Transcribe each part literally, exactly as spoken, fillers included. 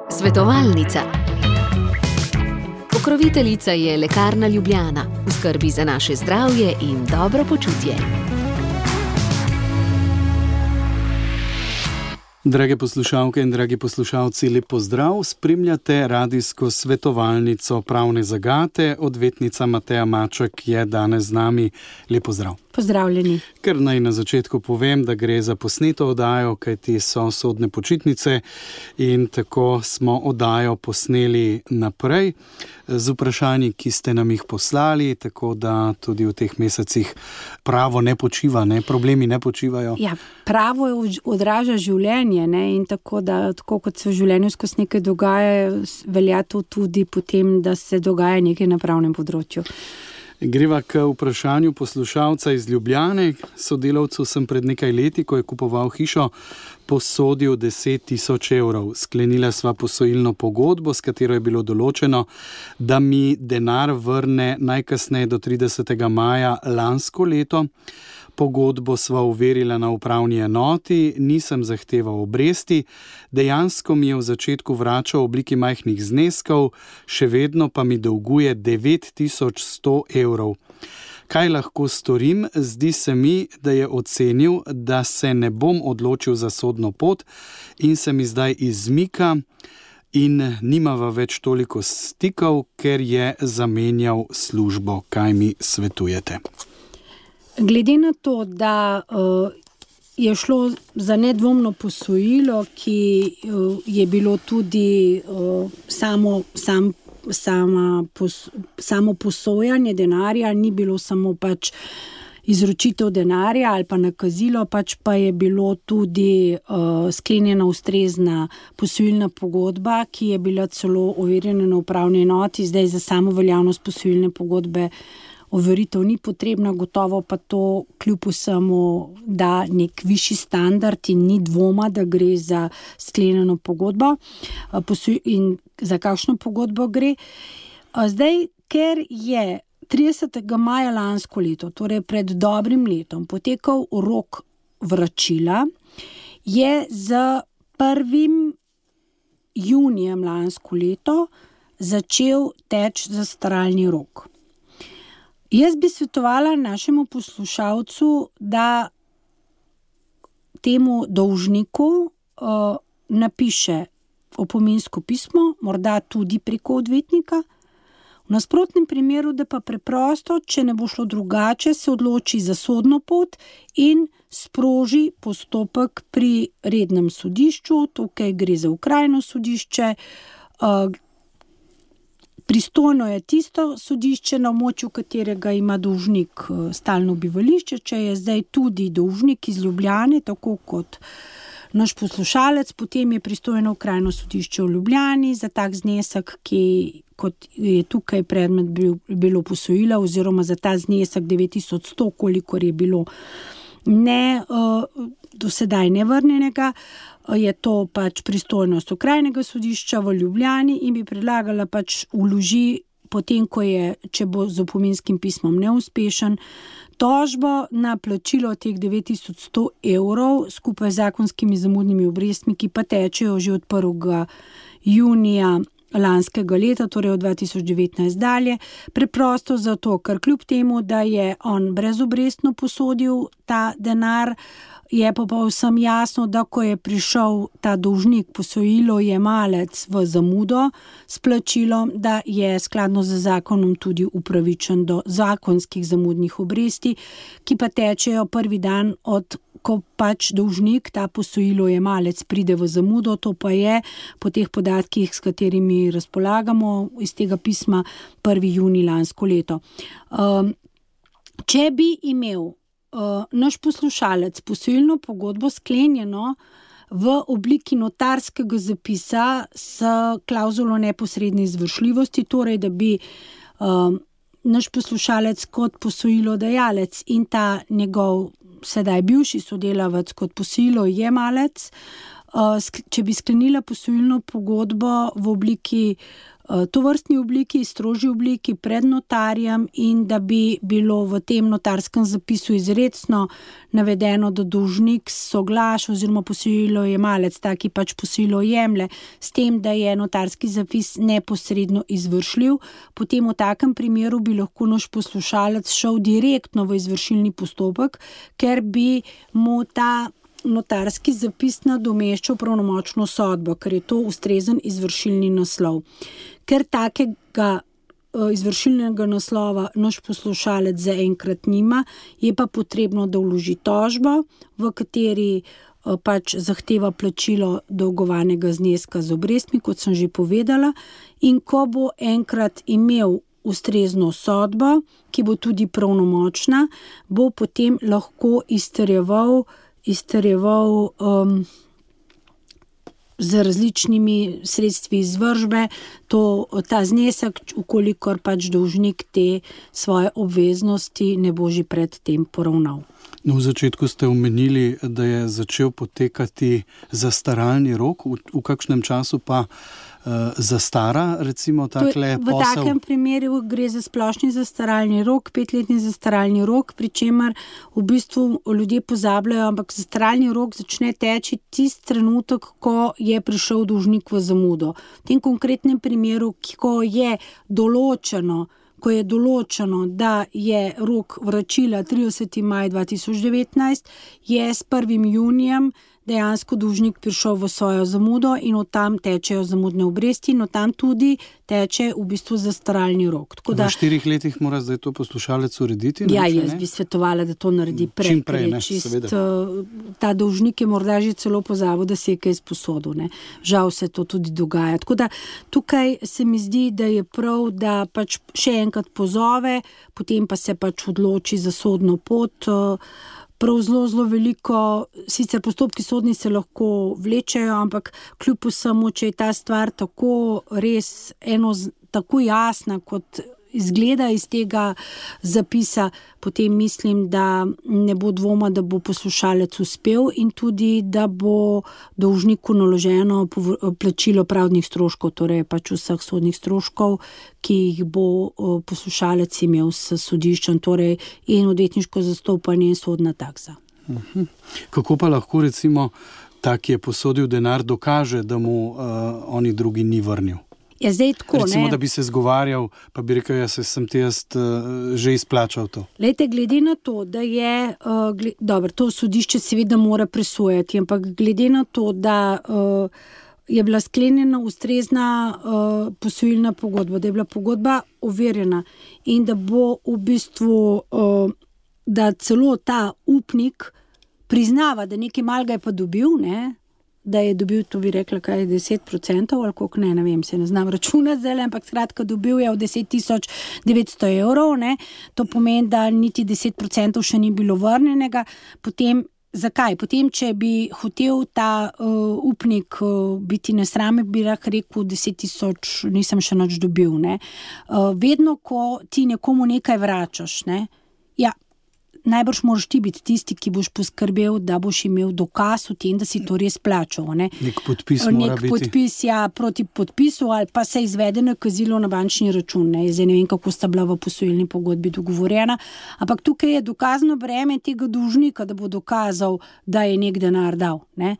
Svetovalnica. Pokroviteljica je Lekarna Ljubljana, v skrbi za naše zdravje in dobro počutje. Drage poslušalke in dragi poslušalci, lep pozdrav. Spremljate radijsko svetovalnico Pravne zagate. Odvetnica Mateja Maček je danes z nami. Lep pozdrav. Pozdravljeni. Ker naj na začetku povem, da gre za posneto oddajo, kajti so sodne počitnice in tako smo oddajo posneli naprej z vprašanji, ki ste nam jih poslali, tako da tudi v teh mesecih pravo ne počiva, ne? Problemi ne počivajo. Ja, pravo odraža življenje, ne? In tako, da, tako kot se v življenju skozi nekaj dogaja, velja to tudi potem, da se dogaja nekaj na pravnem področju. Greva k vprašanju poslušalca iz Ljubljane. Sodelavcu sem pred nekaj leti, ko je kupoval hišo, posodil deset tisoč evrov. Sklenila sva posojilno pogodbo, s katero je bilo določeno, da mi denar vrne najkasneje do tridesetega maja lansko leto. Pogodbo sva overila na upravni enoti, nisem zahteval obresti, dejansko mi je v začetku vračal v obliki majhnih zneskov, še vedno pa mi dolguje devet tisoč sto evrov. Kaj lahko storim? Zdi se mi, da je ocenil, da se ne bom odločil za sodno pot in se mi zdaj izmika in nimava več toliko stikov, ker je zamenjal službo. Kaj mi svetujete? Glede na to, da uh, je šlo za nedvomno posojilo, ki uh, je bilo tudi uh, samo, sam, sama pos, samo posojanje denarja, ni bilo samo pač izročitev denarja ali pa nakazilo, pač pa je bilo tudi uh, sklenjena ustrezna posojilna pogodba, ki je bila celo overjena na upravni enoti. Zdaj za samo veljavnost posojilne pogodbe overitev ni potrebna, gotovo pa to kljub vsemu da nek višji standard in ni dvoma, da gre za sklenjeno pogodbo in za kakšno pogodbo gre. Zdaj, ker je tridesetega maja lansko leto, torej pred dobrim letom, potekal rok vračila, je z prvim junijem lansko leto začel teči zastaralni rok. Jaz bi svetovala našemu poslušalcu, da temu dolžniku uh, napiše opominsko pismo, morda tudi preko odvetnika. V nasprotnem primeru, da pa preprosto, če ne bo šlo drugače, se odloči za sodno pot in sproži postopek pri rednem sodišču. Tukaj gre za okrajno sodišče. Uh, Pristojno je tisto sodišče, na območju katerega ima dolžnik stalno bivališče. Če je zdaj tudi dolžnik iz Ljubljane, tako kot naš poslušalec, potem je pristojno okrajno sodišče v Ljubljani za tak znesek, ki kot je tukaj predmet bil, bilo posojila, oziroma za ta znesek devet tisoč sto, kolikor je bilo ne, do sedaj nevrnjenega, je to pač pristojnost okrajnega sodišča v Ljubljani in bi predlagala pač vloži, potem ko je, če bo z opominskim pismom neuspešen, tožbo na plačilo teh devet tisoč sto evrov skupaj z zakonskimi zamudnimi obrestmi, ki pa tečejo že od prvega junija lanskega leta, torej od dva tisoč devetnajst dalje, preprosto zato, ker kljub temu, da je on brezobrestno posodil ta denar, je pa povsem jasno, da ko je prišel ta dolžnik posojilo jemalec v zamudo s plačilom, da je skladno z zakonom tudi upravičen do zakonskih zamudnih obresti, ki pa tečejo prvi dan od ko pač dolžnik, ta posojilo jemalec, pride v zamudo. To pa je po teh podatkih, s katerimi razpolagamo iz tega pisma, prvi junij lansko leto. Um, če bi imel Uh, naš poslušalec posojilno pogodbo sklenjeno v obliki notarskega zapisa s klavzulo neposredne izvršljivosti, torej da bi uh, naš poslušalec kot posojilodajalec in ta njegov sedaj bivši sodelavec kot posojilo jemalec če bi sklenila posojilno pogodbo v obliki, tovrstni obliki, strožji obliki pred notarjem in da bi bilo v tem notarskem zapisu izrecno navedeno, da dolžnik soglaša oziroma posojilojemalec, taki pač posojilo jemlje, s tem, da je notarski zapis neposredno izvršljiv, potem v takem primeru bi lahko naš poslušalec šel direktno v izvršilni postopek, ker bi mu ta notarski zapis nadomeščal pravnomočno sodbo, ker je to ustrezen izvršilni naslov. Ker takega izvršilnega naslova naš poslušalec zaenkrat nima, je pa potrebno, da vloži tožbo, v kateri pač zahteva plačilo dolgovanega zneska z obrestmi, kot sem že povedala, in ko bo enkrat imel ustrezno sodbo, ki bo tudi pravnomočna, bo potem lahko izterjeval izterjeval um, z različnimi sredstvi izvršbe to, ta znesek, ukolikor pač dolžnik te svoje obveznosti ne bo že pred tem poravnal. No, v začetku ste omenili, da je začel potekati zastaralni rok, v, v kakšnem času pa uh, zastara, recimo takle v posel? V takem primeru gre za splošni zastaralni rok, petletni zastaralni rok, pri čemer v bistvu ljudje pozabljajo, ampak zastaralni rok začne teči tisti trenutek, ko je prišel dolžnik v zamudo. V tem konkretnem primeru, ko je določeno, ko je določeno, da je rok vračila trideseti maj dva tisoč devetnajst, je s prvim junijem dejansko dolžnik prišel v svojo zamudo in od tam tečejo zamudne obresti in od tam tudi teče v bistvu zastaralni rok. Tako da, v štirih letih mora zdaj to poslušalec urediti? Ja, jaz bi svetovala, da to naredi prej. Čim prej, ne, čist, seveda. Ta dolžnik je morda že celo pozabil, da si je kaj sposodil. Ne. Žal se to tudi dogaja. Tako da tukaj se mi zdi, da je prav, da pač še enkrat pozove, potem pa se pač odloči za sodno pot. Prav zelo, zelo veliko, sicer postopki sodni se lahko vlečejo, ampak kljub vsemu, če je ta stvar tako res eno, tako jasna, kot izgleda iz tega zapisa, potem mislim, da ne bo dvoma, da bo poslušalec uspel in tudi, da bo dolžniku naloženo plačilo pravdnih stroškov, torej pač vseh sodnih stroškov, ki jih bo poslušalec imel s sodiščem, torej in odvetniško zastopanje in sodna taksa. Uh-huh. Kako pa lahko recimo ta, ki je posodil denar, dokaže, da mu uh, oni drugi ni vrnil? Ja, zdaj tako, recimo, ne? Da bi se zgovarjal, pa bi rekel, ja, se sem ti jaz uh, že izplačal to. Lejte, glede na to, da je, uh, gled, dobro, to sodišče seveda mora presojati, ampak glede na to, da uh, je bila sklenjena ustrezna uh, posojilna pogodba, da je bila pogodba overjena in da bo v bistvu, uh, da celo ta upnik priznava, da nekaj malega je pa dobil, ne, da je dobil, to bi rekla, kaj je deset procentov ali koliko, ne, ne vem, se ne znam računati zdaj, ampak skratka dobil je od deset tisoč devetsto evrov, ne, to pomeni, da niti deset procentov še ni bilo vrnjenega, potem, zakaj? Potem, če bi hotel ta uh, upnik uh, biti nesrame, bi lahko rekel deset tisoč, nisem še nič dobil, ne. Uh, vedno, ko ti nekomu nekaj vračaš, ne, ja, najbrž moraš ti biti tisti, ki boš poskrbel, da boš imel dokaz o tem, da si to res plačal. Ne? Nek podpis mora Nek biti. podpis, ja, proti podpisu ali pa se izvede nakazilo na bančni račun. Ne? Zdaj ne vem, kako sta bila v posojilni pogodbi dogovorjena, ampak tukaj je dokazno breme tega dolžnika, da bo dokazal, da je nek denar dal. Ne?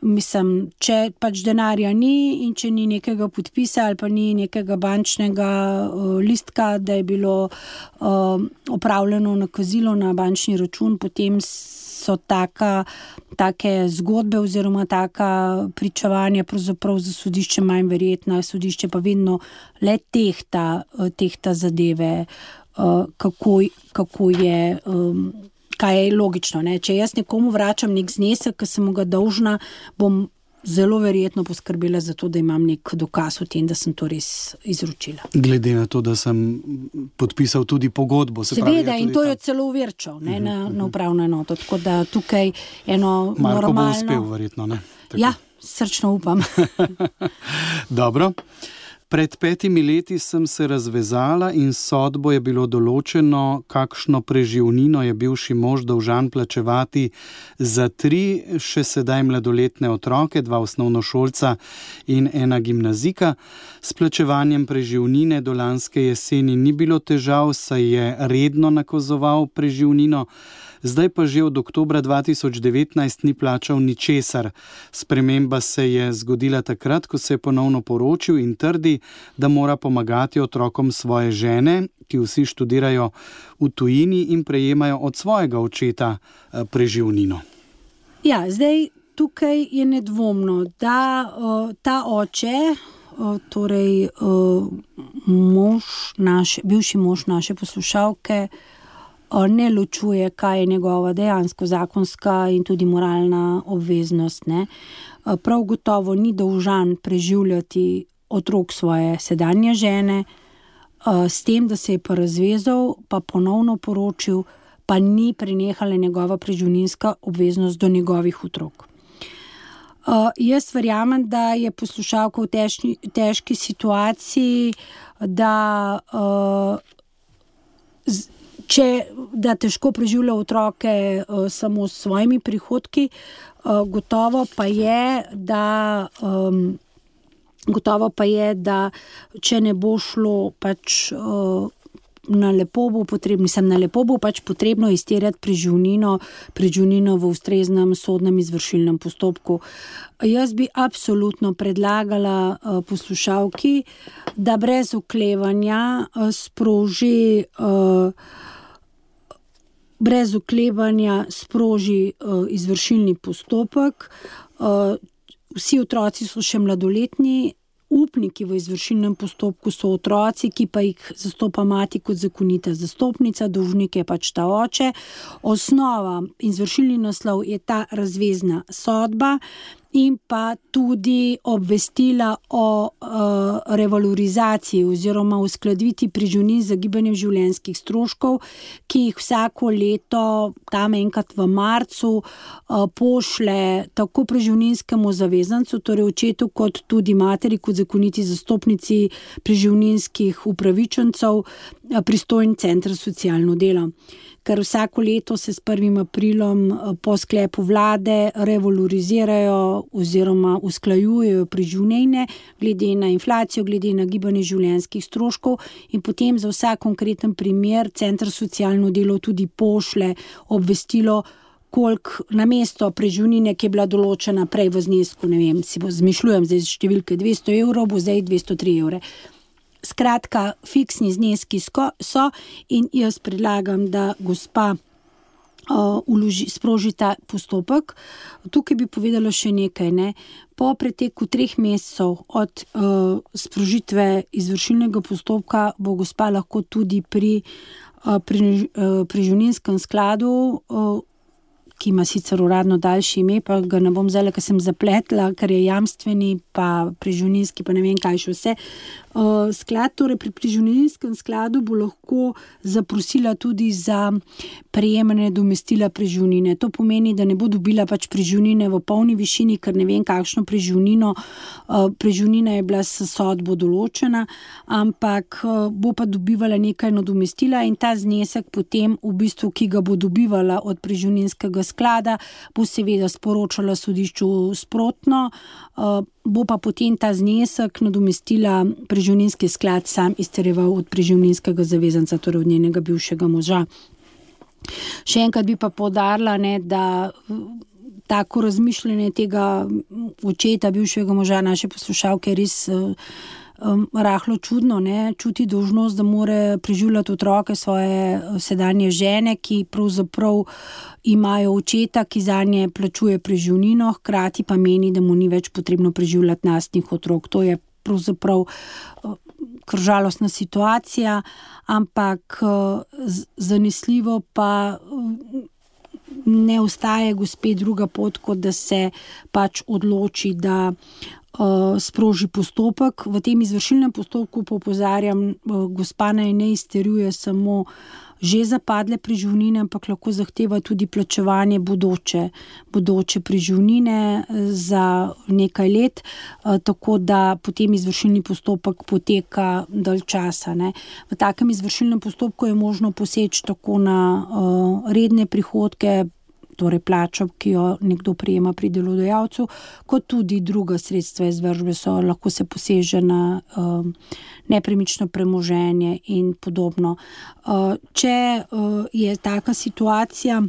Mislim, če pač denarja ni in če ni nekega podpisa ali pa ni nekega bančnega uh, listka, da je bilo uh, opravljeno nakazilo na bančni račun, potem so taka, take zgodbe oziroma taka pričevanja pravzaprav za sodišče manj verjetna, sodišče pa vedno le tehta, uh, tehta zadeve, uh, kako, kako je... Um, kaj je logično. Ne? Če jaz nekomu vračam nek znesek, ki sem mu ga dolžna, bom zelo verjetno poskrbela za to, da imam nek dokaz o tem, da sem to res izročila. Glede na to, da sem podpisal tudi pogodbo. Se Seveda, pravi, ja, in to tam... je celo uverčal ne, na, na upravno enoto. Tako da tukaj eno Marko normalno... bo uspel, verjetno, ne? Tako. Ja, srčno upam. Dobro. Pred petimi leti sem se razvezala in sodbo je bilo določeno, kakšno preživnino je bivši mož dolžan plačevati za tri še sedaj mladoletne otroke, dva osnovnošolca in ena gimnazika. S plačevanjem preživnine do lanske jeseni ni bilo težav, saj je redno nakazoval preživnino. Zdaj pa že od oktobra dva tisoč devetnajst ni plačal ničesar. Sprememba se je zgodila takrat, ko se je ponovno poročil in trdi, da mora pomagati otrokom svoje žene, ki vsi študirajo v tujini in prejemajo od svojega očeta preživnino. Ja, zdaj tukaj je nedvomno, da uh, ta oče, uh, torej uh, mož naše, bivši mož naše poslušalke, ne ločuje, kaj je njegova dejansko zakonska in tudi moralna obveznost. Ne. Prav gotovo ni dolžan preživljati otrok svoje sedanje žene, s tem, da se je pa razvezal, pa ponovno poročil, pa ni prenehala njegova preživninska obveznost do njegovih otrok. Jaz verjamem, da je poslušalka v težki, težki situaciji, da z, Če, da težko preživlja otroke uh, samo s svojimi prihodki, uh, gotovo pa je, da um, gotovo pa je, da če ne bo šlo pač uh, na lepo bo potrebno, sem na lepo bo pač potrebno izterjati preživnino, preživnino v ustreznem sodnem izvršilnem postopku. Jaz bi absolutno predlagala uh, poslušalki, da brez oklevanja uh, sproži uh, brez oklevanja sproži uh, izvršilni postopek. Uh, vsi otroci so še mladoletni, upniki v izvršilnem postopku so otroci, ki pa jih zastopa mati kot zakonita zastopnica, dolžnik je pač ta oče. Osnova, izvršilni naslov je ta razvezna sodba in pa tudi obvestila o uh, revalorizaciji oziroma uskladitvi preživnin za gibanjem življenjskih stroškov, ki jih vsako leto, tam enkrat v marcu, uh, pošle tako preživninskemu zavezancu, torej očetu, kot tudi materi, kot zakoniti zastopnici preživninskih upravičencev, uh, pristojni center socialno delo. Ker vsako leto se s prvim aprilom po sklepu vlade revalorizirajo oziroma usklajujejo preživnine glede na inflacijo, glede na gibanje življenjskih stroškov in potem za vsak konkreten primer center socialno delo tudi pošle obvestilo, koliko namesto preživnine, ki je bila določena prej v znesku, ne vem, si bo zmišljujem zdaj številke dvesto evrov, bo zdaj dvesto tri evre. Skratka, fiksni zneski so in jaz predlagam, da gospa uh, uloži, sproži ta postopek. Tukaj bi povedala še nekaj. Ne? Po preteku treh mesecev od uh, sprožitve izvršilnega postopka bo gospa lahko tudi pri uh, preživninskem skladu, uh, ki ima sicer uradno daljši ime, pa ga ne bom zdaj, ker sem zapletla, ker je jamstveni, pa preživninski, pa ne vem kaj še vse. Uh, sklad, torej pri preživninskem skladu bo lahko zaprosila tudi za prejemanje nadomestila preživnine. To pomeni, da ne bo dobila pač preživnine v polni višini, ker ne vem kakšno preživnino, uh, preživnina je bila s sodbo določena, ampak uh, bo pa dobivala nekaj nadomestila in ta znesek potem v bistvu, ki ga bo dobivala od preživninskega sklada, bo seveda sporočala sodišču sprotno, uh, bo pa potem ta znesek nadomestila preživninski sklad sam izterjeval od preživninskega zavezanca, torej od njenega bivšega moža. Še enkrat bi pa poudarila, ne, da tako razmišljanje tega očeta bivšega moža naše poslušalke je res um, rahlo čudno, ne, čuti dolžnost, da more preživljati otroke svoje sedanje žene, ki pravzaprav imajo očeta, ki zanje plačuje preživnino, hkrati pa meni, da mu ni več potrebno preživljati lastnih otrok. To je pravzaprav kar žalostna situacija, ampak zanesljivo pa ne ostaje gospe druga pot, kot da se pač odloči, da uh, sproži postopek. V tem izvršilnem postopku pa opozarjam, uh, gospa naj ne izterjuje samo že zapadle preživnine, ampak lahko zahteva tudi plačevanje bodoče, bodoče preživnine za nekaj let, tako da potem izvršilni postopek poteka dalj časa. Ne. V takem izvršilnem postopku je možno poseči tako na uh, redne prihodke, torej plačo, ki jo nekdo prejema pri delodajalcu, kot tudi druga sredstva izvršbe so, lahko se poseže na uh, nepremično premoženje in podobno. Uh, če uh, je taka situacija,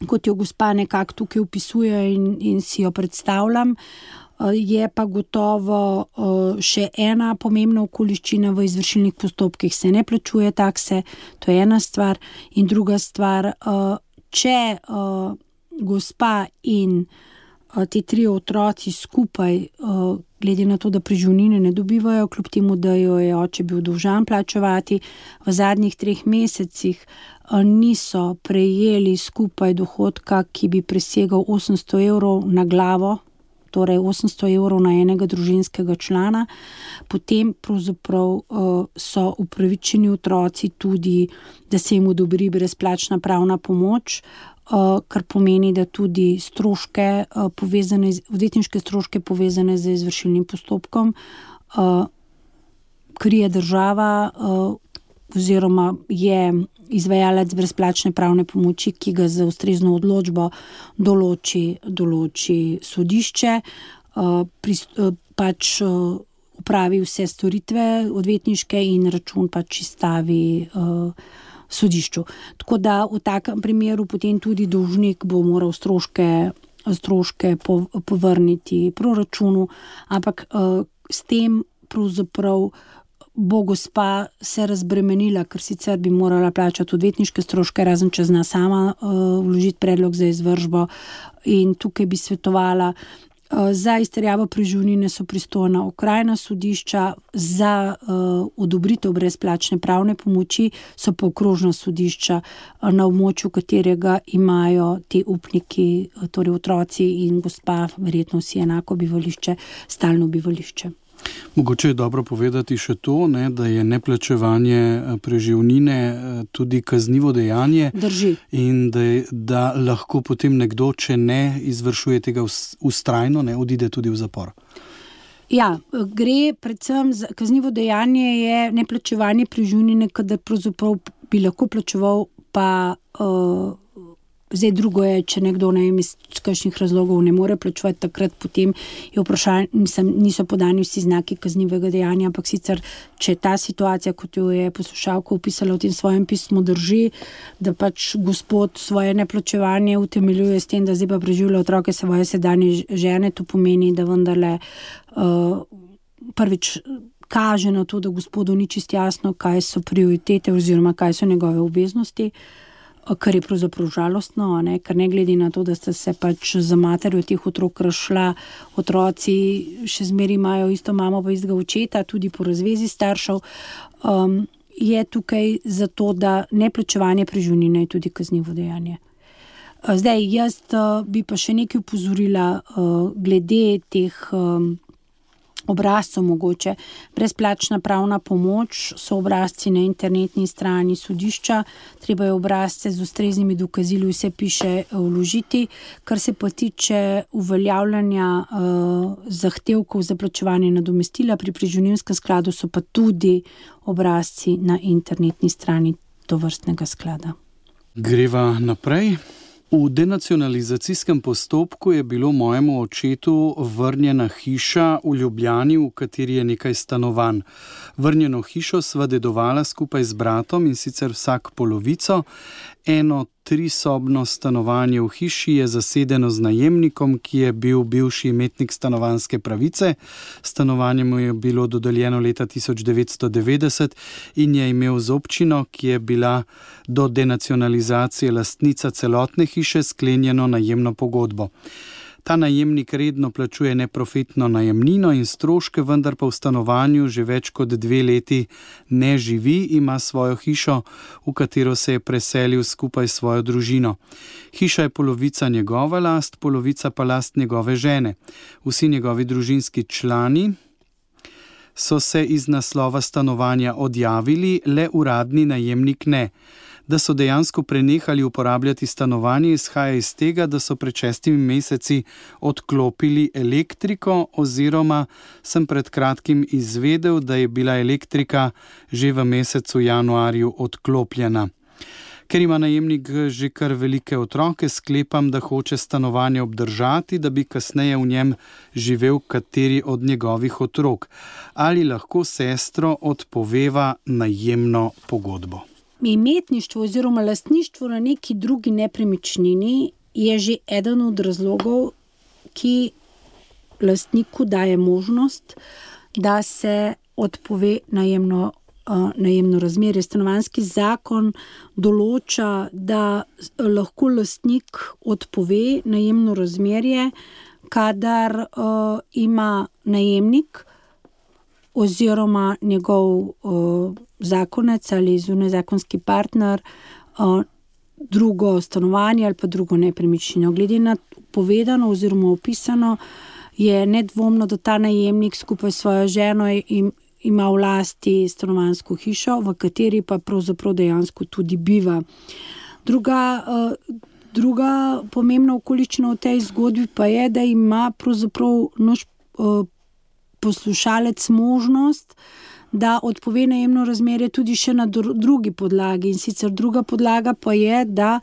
kot jo gospa nekako tukaj opisuje in, in si jo predstavljam, uh, je pa gotovo uh, še ena pomembna okoliščina v izvršilnih postopkih, se ne plačuje takse, to je ena stvar, in druga stvar, uh, če uh, gospa in uh, ti tri otroci skupaj, uh, glede na to, da preživnine ne dobivajo, kljub temu, da jo je oče bil dolžan plačevati, v zadnjih treh mesecih uh, niso prejeli skupaj dohodka, ki bi presegal osemsto evrov na glavo, torej osemsto evrov na enega družinskega člana, potem pravzaprav uh, so upravičeni otroci tudi, da se jim odobri brezplačna pravna pomoč, uh, kar pomeni, da tudi stroške, uh, povezane, odvetniške stroške povezane z izvršilnim postopkom uh, krije država uh, oziroma je izvajalec brezplačne pravne pomoči, ki ga za ustrezno odločbo določi, določi sodišče, pač upravi vse storitve odvetniške in račun pač izstavi sodišču. Tako da v takem primeru potem tudi dolžnik bo moral stroške, stroške povrniti proračunu, ampak s tem pravzaprav bo gospa se razbremenila, ker sicer bi morala plačati odvetniške stroške, razen če zna sama uh, vložiti predlog za izvršbo, in tukaj bi svetovala, uh, za izterjavo preživnine so pristojna okrajna sodišča, za uh, odobritev brezplačne pravne pomoči so pa okrožna sodišča, uh, na območju katerega imajo ti upniki, uh, torej otroci in gospa, verjetno vsi enako bivališče, stalno bivališče. Mogoče je dobro povedati še to, ne, da je neplačevanje preživnine tudi kaznivo dejanje. Drži. In da, je, da lahko potem nekdo, če ne izvršuje tega vztrajno, ne odide tudi v zapor. Ja, gre predvsem za kaznivo dejanje, je neplačevanje preživnine, kadar pravzaprav bi lahko plačeval, pa uh, zdaj drugo je, če nekdo ne vem, iz kakšnih razlogov ne more plačevati, takrat potem je vprašanje, mislim, niso podani vsi znaki kaznivega dejanja, ampak sicer, če ta situacija, kot jo je poslušalka opisala v tem svojem pismu, drži, da pač gospod svoje neplačevanje utemeljuje s tem, da zdaj pa preživlja otroke svoje sedanje žene, to pomeni, da vendarle uh, prvič kaže na to, da gospodu ni čisto jasno, kaj so prioritete oziroma kaj so njegove obveznosti, kar je pravzaprav žalostno, ne? Ker ne glede na to, da ste se pač za materjo teh otrok razšla, otroci še zmeraj imajo isto mamo pa istega očeta, tudi po razvezi staršev, um, je tukaj zato, da neplačevanje preživnine je tudi kaznivo dejanje. Zdaj, jaz uh, bi pa še nekaj upozorila uh, glede teh um, obrazcev mogoče. Brezplačna pravna pomoč so obrazci na internetni strani sodišča, treba je obrazce z ustreznimi dokazili, vse piše, vložiti. Kar se pa tiče uveljavljanja uh, zahtevkov za plačevanje nadomestila pri preživninskem skladu, so pa tudi obrazci na internetni strani tovrstnega sklada. Greva naprej. V denacionalizacijskem postopku je bilo mojemu očetu vrnjena hiša v Ljubljani, v kateri je nekaj stanovanj. Vrnjeno hišo sva dedovala skupaj z bratom, in sicer vsak polovico. Eno trisobno stanovanje v hiši je zasedeno z najemnikom, ki je bil bivši imetnik stanovanjske pravice. Stanovanje mu je bilo dodeljeno leta tisoč devetsto devetdeset in je imel z občino, ki je bila do denacionalizacije lastnica celotne hiše, sklenjeno najemno pogodbo. Ta najemnik redno plačuje neprofitno najemnino in stroške, vendar pa v stanovanju že več kot dve leti ne živi, ima svojo hišo, v katero se je preselil skupaj s svojo družino. Hiša je polovica njegova last, polovica pa last njegove žene. Vsi njegovi družinski člani so se iz naslova stanovanja odjavili, le uradni najemnik ne. Da so dejansko prenehali uporabljati stanovanje, izhaja iz tega, da so pred šestimi meseci odklopili elektriko, oziroma sem pred kratkim izvedel, da je bila elektrika že v mesecu januarju odklopljena. Ker ima najemnik že kar velike otroke, sklepam, da hoče stanovanje obdržati, da bi kasneje v njem živel kateri od njegovih otrok. Ali lahko sestro odpoveva najemno pogodbo? Imetništvo oziroma lastništvo na neki drugi nepremičnini je že eden od razlogov, ki lastniku daje možnost, da se odpove najemno, uh, najemno razmerje. Stanovanjski zakon določa, da lahko lastnik odpove najemno razmerje, kadar uh, ima najemnik oziroma njegov uh, zakonec ali zunajzakonski partner uh, drugo stanovanje ali pa drugo nepremičnino. Glede na povedano oziroma opisano je nedvomno, da ta najemnik skupaj s svojo ženo im, ima v lasti stanovanjsko hišo, v kateri pa pravzaprav dejansko tudi biva. Druga, uh, druga pomembna okoliščina v tej zgodbi pa je, da ima pravzaprav naš uh, poslušalec možnost, da odpove najemno razmerje tudi še na drugi podlagi. In sicer druga podlaga pa je, da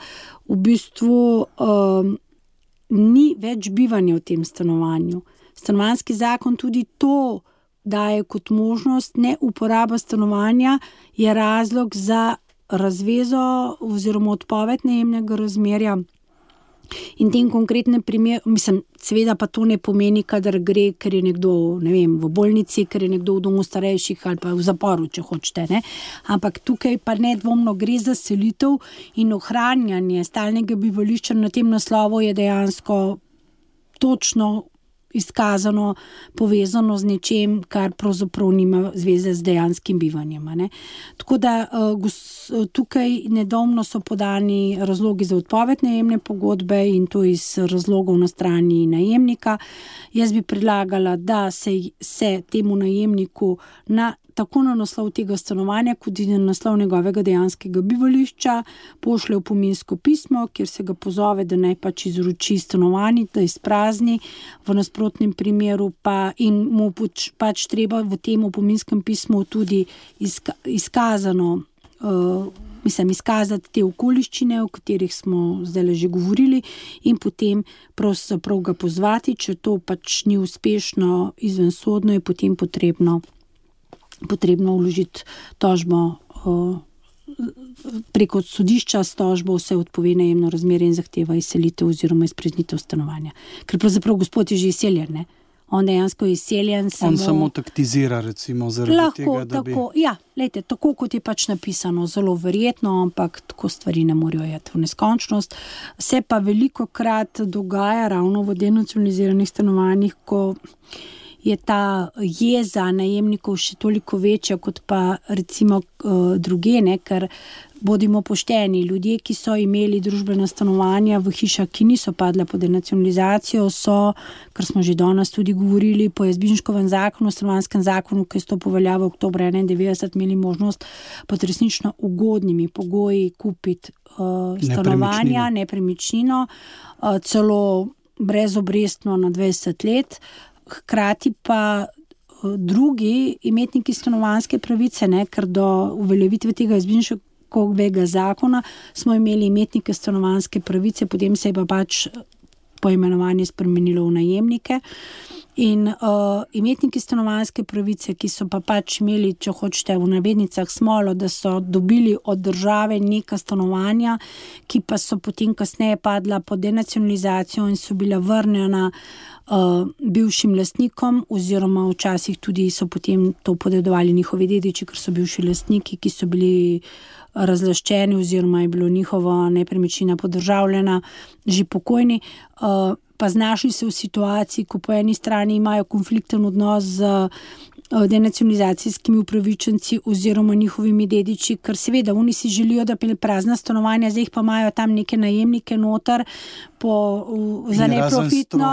v bistvu um, ni več bivanja v tem stanovanju. Stanovanjski zakon tudi to daje kot možnost. Ne uporaba stanovanja je razlog za razvezo oziroma odpoved najemnega razmerja. In tem konkretnem primeru, mislim, seveda pa to ne pomeni, kadar gre, ker je nekdo, ne vem, v bolnici, ker je nekdo v domu starejših ali pa v zaporu, če hočete, ne. Ampak tukaj pa nedvomno gre za selitev in ohranjanje stalnega bivališča na tem naslovu je dejansko točno izkazano, povezano z nečem, kar pravzaprav nima zveze z dejanskim bivanjem. Ne? Tako da tukaj nedvomno so podani razlogi za odpoved najemne pogodbe in to iz razlogov na strani najemnika. Jaz bi predlagala, da se, se temu najemniku na tako na naslov tega stanovanja, kot in na naslov njegovega dejanskega bivališča pošlje opominsko pismo, kjer se ga pozove, da naj pač izroči stanovanje, da izprazni, v nasprotnem primeru pa in mu pač, pač treba v tem opominskem pismu tudi izka, izkazano, uh, mislim, izkazati te okoliščine, o katerih smo zdaj že govorili, in potem pravzaprav ga pozvati, če to pač ni uspešno izvensodno, je potem potrebno potrebno vložiti tožbo uh, preko sodišča s tožbo se odpove najemno razmerje in zahteva izselitev oziroma izpraznitev stanovanja. Ker pravzaprav gospod je že izseljen, ne? On dejansko je izseljen. Samo... On samo taktizira, recimo, zaradi lahko, tega, da tako, bi... Ja, lejte, tako kot je pač napisano, zelo verjetno, ampak tako stvari ne morajo jeti v neskončnost. Se pa veliko krat dogaja ravno v denacionaliziranih stanovanjih, ko je ta jeza najemnikov še toliko večja, kot pa recimo uh, druge, ne, ker bodimo pošteni, ljudje, ki so imeli družbena stanovanja v hišah, ki niso padle pod denacionalizacijo, so, kar smo že danes tudi govorili, po Jazbinškovem zakonu, stanovanjskem zakonu, ki je stopil v veljavo oktobra enaindevetdeset, imeli možnost pod resnično ugodnimi pogoji kupiti uh, stanovanja, nepremičnino, uh, celo brezobrestno na dvajset let. Hkrati pa drugi imetniki stanovanjske pravice, ne, ker do uveljavitve tega Jazbinškovega zakona smo imeli imetnike stanovanjske pravice, potem se je pa pač poimenovanje spremenilo v najemnike. In uh, imetniki stanovanjske pravice, ki so pa pač imeli, če hočete v navednicah, smolo, da so dobili od države neka stanovanja, ki pa so potem kasneje padla pod denacionalizacijo in so bila vrnjena uh, bivšim lastnikom, oziroma včasih tudi so potem to podedovali njihovi dediči, ker so bivši lastniki, ki so bili razlaščeni oziroma je bilo njihova nepremičnina podržavljena, že pokojni. Uh, pa znašli se v situaciji, ko po eni strani imajo konflikten odnos z denacionalizacijskimi upravičenci oziroma njihovimi dediči, ker seveda oni si želijo, da bi prazna stanovanja, zdaj pa imajo tam neke najemnike noter po, za neprofitno,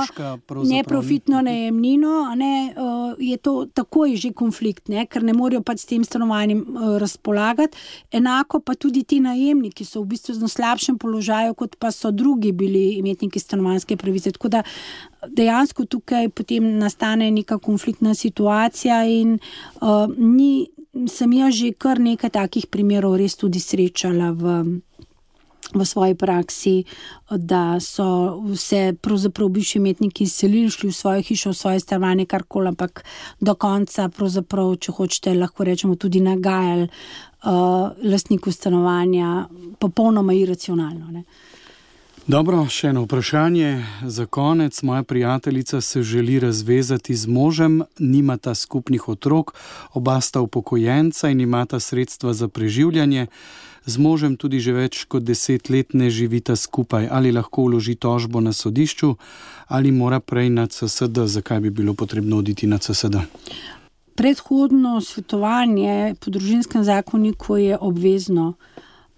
neprofitno najemnino, ne, je to takoj že konflikt, ne, ker ne morejo pač s tem stanovanjem razpolagati. Enako pa tudi ti najemniki so v bistvu v slabšem položaju, kot pa so drugi bili imetniki stanovanjske pravice. Tako da dejansko tukaj potem nastane neka konfliktna situacija in uh, ni, sem jaz že kar nekaj takih primerov res tudi srečala v, v svoji praksi, da so se pravzaprav bivši imetniki izselili, šli v svojo hišo, v svoje stanovanje, karkoli, ampak do konca pravzaprav, če hočete, lahko rečemo tudi nagajali uh, lastniku stanovanja popolnoma iracionalno, ne. Dobro, še eno vprašanje za konec. Moja prijateljica se želi razvezati z možem, nimata skupnih otrok, oba sta upokojenca in imata sredstva za preživljanje. Z možem tudi že več kot deset let ne živita skupaj. Ali lahko vloži tožbo na sodišču ali mora prej na C S D? Zakaj bi bilo potrebno oditi na C S D? Predhodno svetovanje po družinskem zakoniku je obvezno.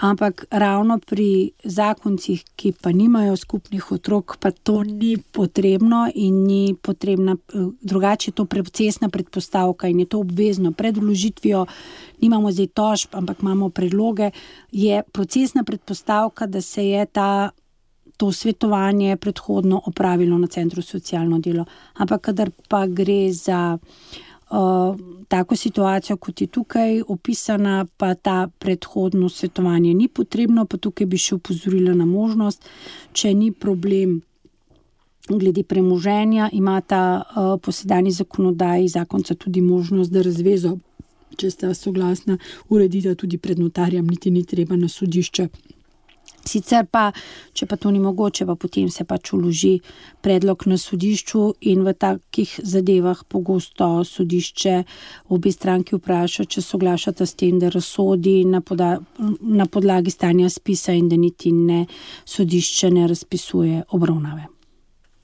Ampak ravno pri zakoncih, ki pa nimajo skupnih otrok, pa to ni potrebno in ni potrebna, drugače je to procesna predpostavka in je to obvezno. Pred vložitvijo nimamo zdaj tožb, ampak imamo predloge, je procesna predpostavka, da se je ta, to svetovanje predhodno opravilo na Centru za socialno delo. Ampak kadar pa gre za Uh, tako situacijo, kot je tukaj opisana, pa ta predhodno svetovanje ni potrebno, pa tukaj bi še upozorila na možnost, če ni problem glede premoženja, ima ta uh, po sedanji zakonodaji zakonca tudi možnost, da razvezo, če sta soglasna, uredita tudi pred notarjem, niti ni treba na sodišče. Sicer pa, če pa to ni mogoče, pa potem se pač vloži predlog na sodišču in v takih zadevah pogosto sodišče obe stranki vpraša, če soglašata s tem, da razsodi na, poda, na podlagi stanja spisa in da niti ne sodišče ne razpisuje obravnave.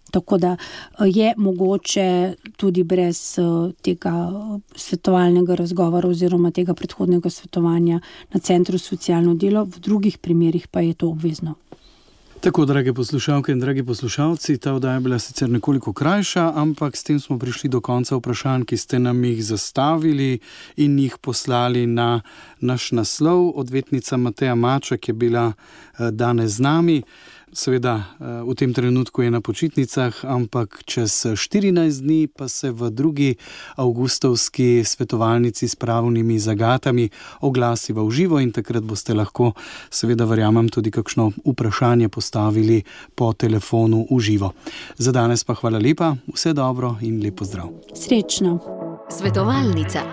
Tako da je mogoče tudi brez tega svetovalnega razgovora oziroma tega predhodnega svetovanja na Centru za socialno delo, v drugih primerih pa je to obvezno. Tako, drage poslušalke in dragi poslušalci, ta oddaja je bila sicer nekoliko krajša, ampak s tem smo prišli do konca vprašanj, ki ste nam jih zastavili in jih poslali na naš naslov. Odvetnica Mateja Maček je bila danes z nami. Seveda v tem trenutku je na počitnicah, ampak čez štirinajst dni pa se v drugi avgustovski svetovalnici s pravnimi zagatami oglasiva v živo in takrat boste lahko, seveda verjamem, tudi kakšno vprašanje postavili po telefonu v živo. Za danes pa hvala lepa, vse dobro in lep pozdrav. Srečno. Svetovalnica.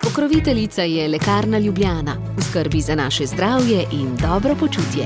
Pokroviteljica je Lekarna Ljubljana, v skrbi za naše zdravje in dobro počutje.